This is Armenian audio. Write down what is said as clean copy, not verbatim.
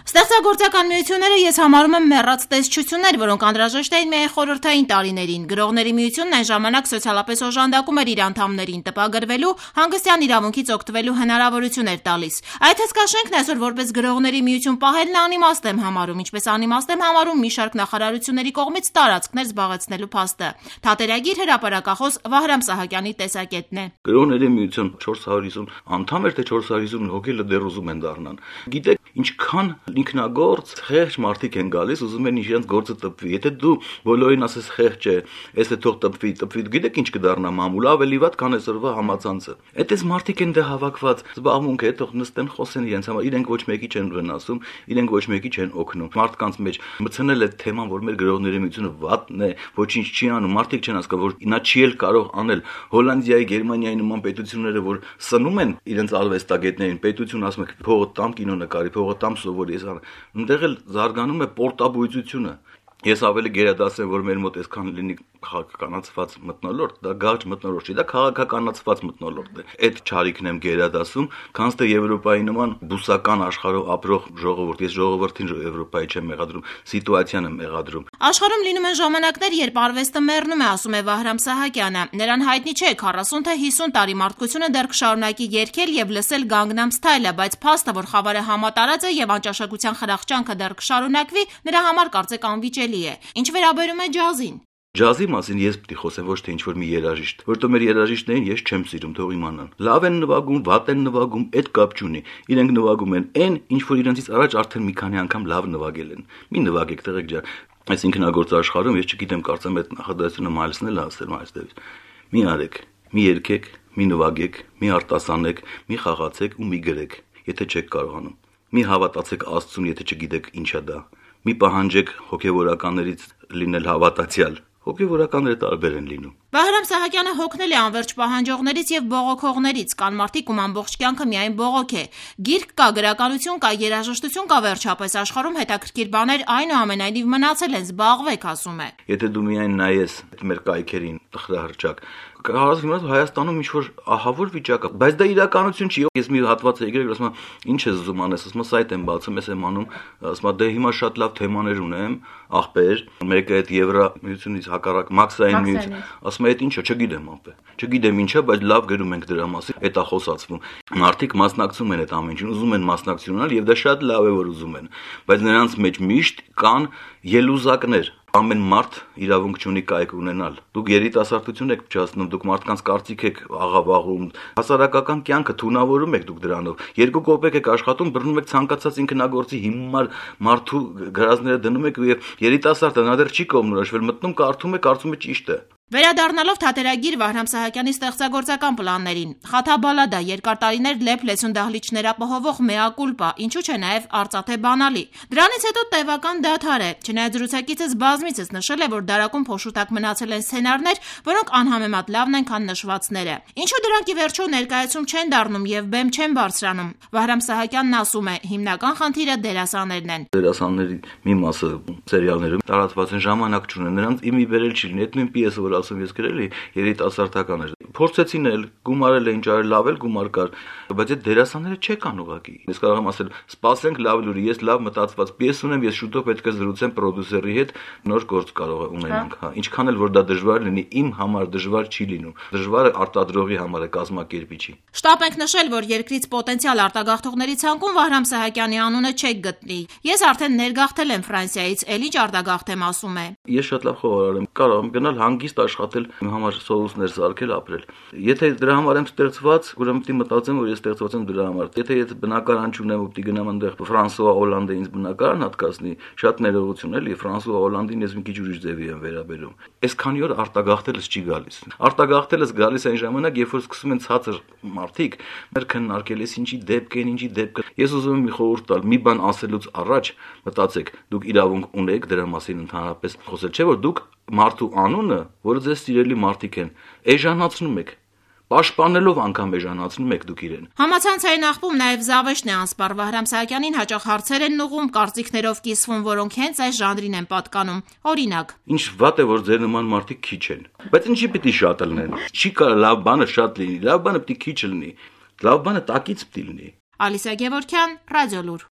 Ստեղծագործական միությունները ես համարում եմ մեռած տեսչություններ, որոնք անհրաժեշտ էին միայն խորհրդային տարիներին։ Գրողների միությունն այն ժամանակ սոցիալապես օժանդակում էր իր անդամներին տպագրվելու, հանգստյան իրավունքից օգտվելու հնարավորություն էր տալիս։ Այդ հսկաշենքն այսօր որպես գրողների միություն պահելն անիմաստ եմ համարում, ինչպես անիմաստ եմ համարում մի շարք նախարարությունների կողմից տարածքներ զբաղեցնելու փաստը։ Թատերագիր հրապարակախոս Վահրամ Սահակյանի տեսակետն է։ Գրողների միություն 450 անդամ էր, թե 450 հոգի դեռ ուզում են դառնան։ Գիտեք, ինչքան ինքնագործ խեղճ մարդիկ են գալիս, ուզում են իրենց գործը տպվի։ Եթե դու բոլորին ասես խեղճ է, էս է թող տպվի, գիտեք ինչ կդառնա մամուլ, ավելի վատ, քան այսօրվա համացանցը։ Այդպես մարդիկ են դե հավաքված, զբաղմունք է, թող նստեն խոսեն իրենց համար, իրենք ոչ մեկի չեն վնասում, իրենք ոչ մեկի չեն օգնում։ Մարդկանց մեջ մտցնել է թեման, որ մեր գրողների միությունը վատն է, ոչինչ չի անում, մարդիկ չեն հասկանում, որ նա չի էլ կարող անել։ Հոլանդիայի, Գերմանիայի նման պետությունները, որ սնում են իրենց արվեստագետներին, պետություն ասում է փողը տամ կինո նկարի, փողը տամ սովորի, այնտեղ էլ զարգանում է պորտաբույծությունը։ Ես ավելի գերադասեմ, որ մեր մոտ այսքան լինի քաղաքականացված մթնոլորտ, դա գարջ մթնոլորտ չի, դա քաղաքականացված մթնոլորտ է։ Այդ չարիքն եմ գերադասում, քանց թե Եվրոպայի նման բուսական աշխարհով ապրող ժողովուրդ, ես ժողովրդին Եվրոպայի չեմ մեղադրում, սիտուացիան եմ մեղադրում։ Աշխարհում լինում են ժամանակներ, երբ արվեստը մեռնում է, ասում է Վահրամ Սահակյանը։ Նրան հայտնի չէ 40 թե 50 տարի մարդկությունը դեռ կշարունակի երգել եւ լսել Gangnam Style-ը, բայց փաստը, որ խավարը համատարած է եւ անճաշակության խրախճանքը դեռ կշարունակվի, նրա համար կարծեք անվիճելի է։ Ինչ վերաբերում է ջազին։ Ջազի մասին ես պիտի խոսեմ ոչ թե ինչ-որ մի երաժիշտ, որտեղ մեր երաժիշտներին ես չեմ սիրում, թող իմանան։ Լավ են նվագում, վատ են նվագում, այդ կապ չունի։ Իրենք նվագում են այն, ինչ որ իրենցից առաջ արդեն մի քանի անգամ լավ նվագել են։ Մի նվագեք, տղեկ ջան։ Այս ինքնագործ աշխարհում ես չգիտեմ, կարծեմ այդ նախադասությունը մայլսնել ասել մայստերից։ Մի արեք, մի երգեք, մի նվագեք, մի արտասանեք, մի խաղացեք ու մի գրեք, եթե չեք կարողանում։ Մի հավատացեք Աստծուն, եթե չգիտեք ինչա դա։ Մի պահանջեք հոգևորականներից լինել հավատացյալ։ Հոգևորականները տարբեր են լինում։ Վահրամ Սահակյանը հոգնել է անվերջ պահանջողներից եւ բողոքողներից, կան մարդիկ, ում ամբողջ կյանքը միայն բողոք է։ Գիրք կա, գրականություն կա, երաժշտություն կա, վերջապես աշխարհում հետաքրքիր բաներ այնուամենայնիվ մնացել են, զբաղվեք, ասում է։ Եթե դու միայն նայես մեր կայքերին, տխրահրճակ, հարազատ Հայաստանում ինչ-որ ահավոր վիճակ է, բայց դա իրականություն չի։ Ես մի հատված եմ եկել, ասում եմ, ինչ ես զում անես, ասում եմ, սայթ եմ բացում, ես եմ անում, ասում եմ, դե հիմա շատ լավ թեմաներ ունեմ, ախպեր, մեկը այդ Եվրամիությունից հակառակ մաքսային միություն, ասում եմ, այդ ինչա, չգիտեմ ապե։ Չգիտեմ ինչա, բայց լավ գրում ենք դրա մասին, այդ է խոսացվում։ Մարդիկ մասնակցում են այդ ամեն ինչին, ուզում են մասնակցությունալ եւ դա շատ լավ է, որ ուզում են, բայց նրանց մեջ միշտ կան ելուզակներ։ Ամեն մարդ իրավունք չունի կայք ունենալ։ Դուք երիտասարդություն եք փչացնում, դուք մարդկանց կարծիք եք աղավաղում, հասարակական կյանքը թունավորում եք դուք դրանով։ 2 կոպեկ եք աշխատում, բռնում եք ցանկացած ինքնագործի հիմար մարդու գրազները դնում եք եւ երիտասարդը նա դեռ չի կողմնորոշվել, մտնում կարդում է, կարծում է ճիշտ է։ Վերադառնալով թատերագիր Վահրամ Սահակյանի ստեղծագործական պլաններին, Խաթաբալադա, երկար տարիներ լեփ լեցուն դահլիճներ ապահովող Mea Culpa, ինչու՞ չէ նաև արծաթե բանալի։ Դրանից հետո տևական դադար է, չնայած զրուցակիցս բազմիցս նշել է, որ դարակում փոշուտակ մնացել են սցենարներ, որոնք անհամեմատ լավն են, քան նշվածները։ Ինչու դրանք ի վերջո ներկայացում չեն դառնում եւ բեմ չեն բարձրանում։ Վահրամ Սահակյանն ասում է, հիմնական խնդիրը դերասաններն են։ Դերասանների մի մասը սերիալներում տարածված են, ժամանակ չունեն, նրանց իմի վերել չի լինի, այդ նույն պիեսը որ ասում ես գրել էի, երիտասարդական էր։ Փորձեցին էլ, գումարել էին, ճարել, լավ էլ գումար կար, բայց այդ դերասանները չեկան ուղղակի։ Ես կարող եմ ասել, սպասենք լավ լուրի, ես լավ մտածված պիես ունեմ, ես շուտով պետք է զրուցեմ պրոդյուսերի հետ, նոր գործ կարող է ունենանք, հա։ Ինչքան էլ որ դա դժվար լինի, իմ համար դժվար չի լինում։ Դժվարը արտադրողի համար է, կազմակերպիչի։ Շտապ ենք նշել, որ երկրից պոտենցիալ արտագաղթողների ցանկում Վահրամ Սահակյանի անունը չեք գտնի։ Ես արդեն ներգաղթել եմ Ֆրանսիայից, էլի արտագաղթեմ, ասում է։ Ես շատ լավ խոհարար եմ, կարող եմ գնալ հանգիստ աշխատել, իմ համար սովուսներ սարքել, ապրել։ Եթե դրա համար եմ ստեղծված, ուրեմն պիտի մտածեմ, որ ես ստեղծված եմ դրա համար։ Եթե ես բնակարան չունեմ ու պիտի գնամ այնտեղ Ֆրանսուଆ Հոլանդը ինձ բնակարան հատկացնի, շատ ներողություն էլի, Ֆրանսուଆ Հոլանդին ես մի քիչ ուրիշ ձևի եմ վերաբերում։ Այսքանի օր արտագաղթելս չի գալիս։ Արտագաղթելս գալիս այն ժամանակ, երբ որ սկսում են ցածր մարդիկ մեր քննարկել, ես ինչի դեպք են, ինչի դեպք։ Ես ուզում եմ մի խորհուրդ տալ, մի բան ասելուց առաջ մտածեք, դուք իրավունք ունեք դրա մասին ընդհանրապես խոսել, չէ՞ որ դուք մարդու անունը, որը ձեզ սիրելի մարդիկ են, էժանացնում եք, պաշտպանելով անգամ էժանացնում եք դուք իրեն։ Համացանցային աղբում նաև Զավեշն է անսպառ Վահրամ Սահակյանին հաճախ հարցեր են ուղղում, կարծիքներով կիսվում, որոնք հենց այս ժանրին են պատկանում։ Օրինակ. Ինչ վատ է, որ ձեր նման մարդիկ քիչ են, բայց ինչի պիտի շատ լինեն։ Չի կարող լավ բանը շատ լինի, լավ բանը պիտի քիչ լինի, լավ բանը տակից պիտի լինի։ Ալիսա Գևորգյան, Ռադիոլուր։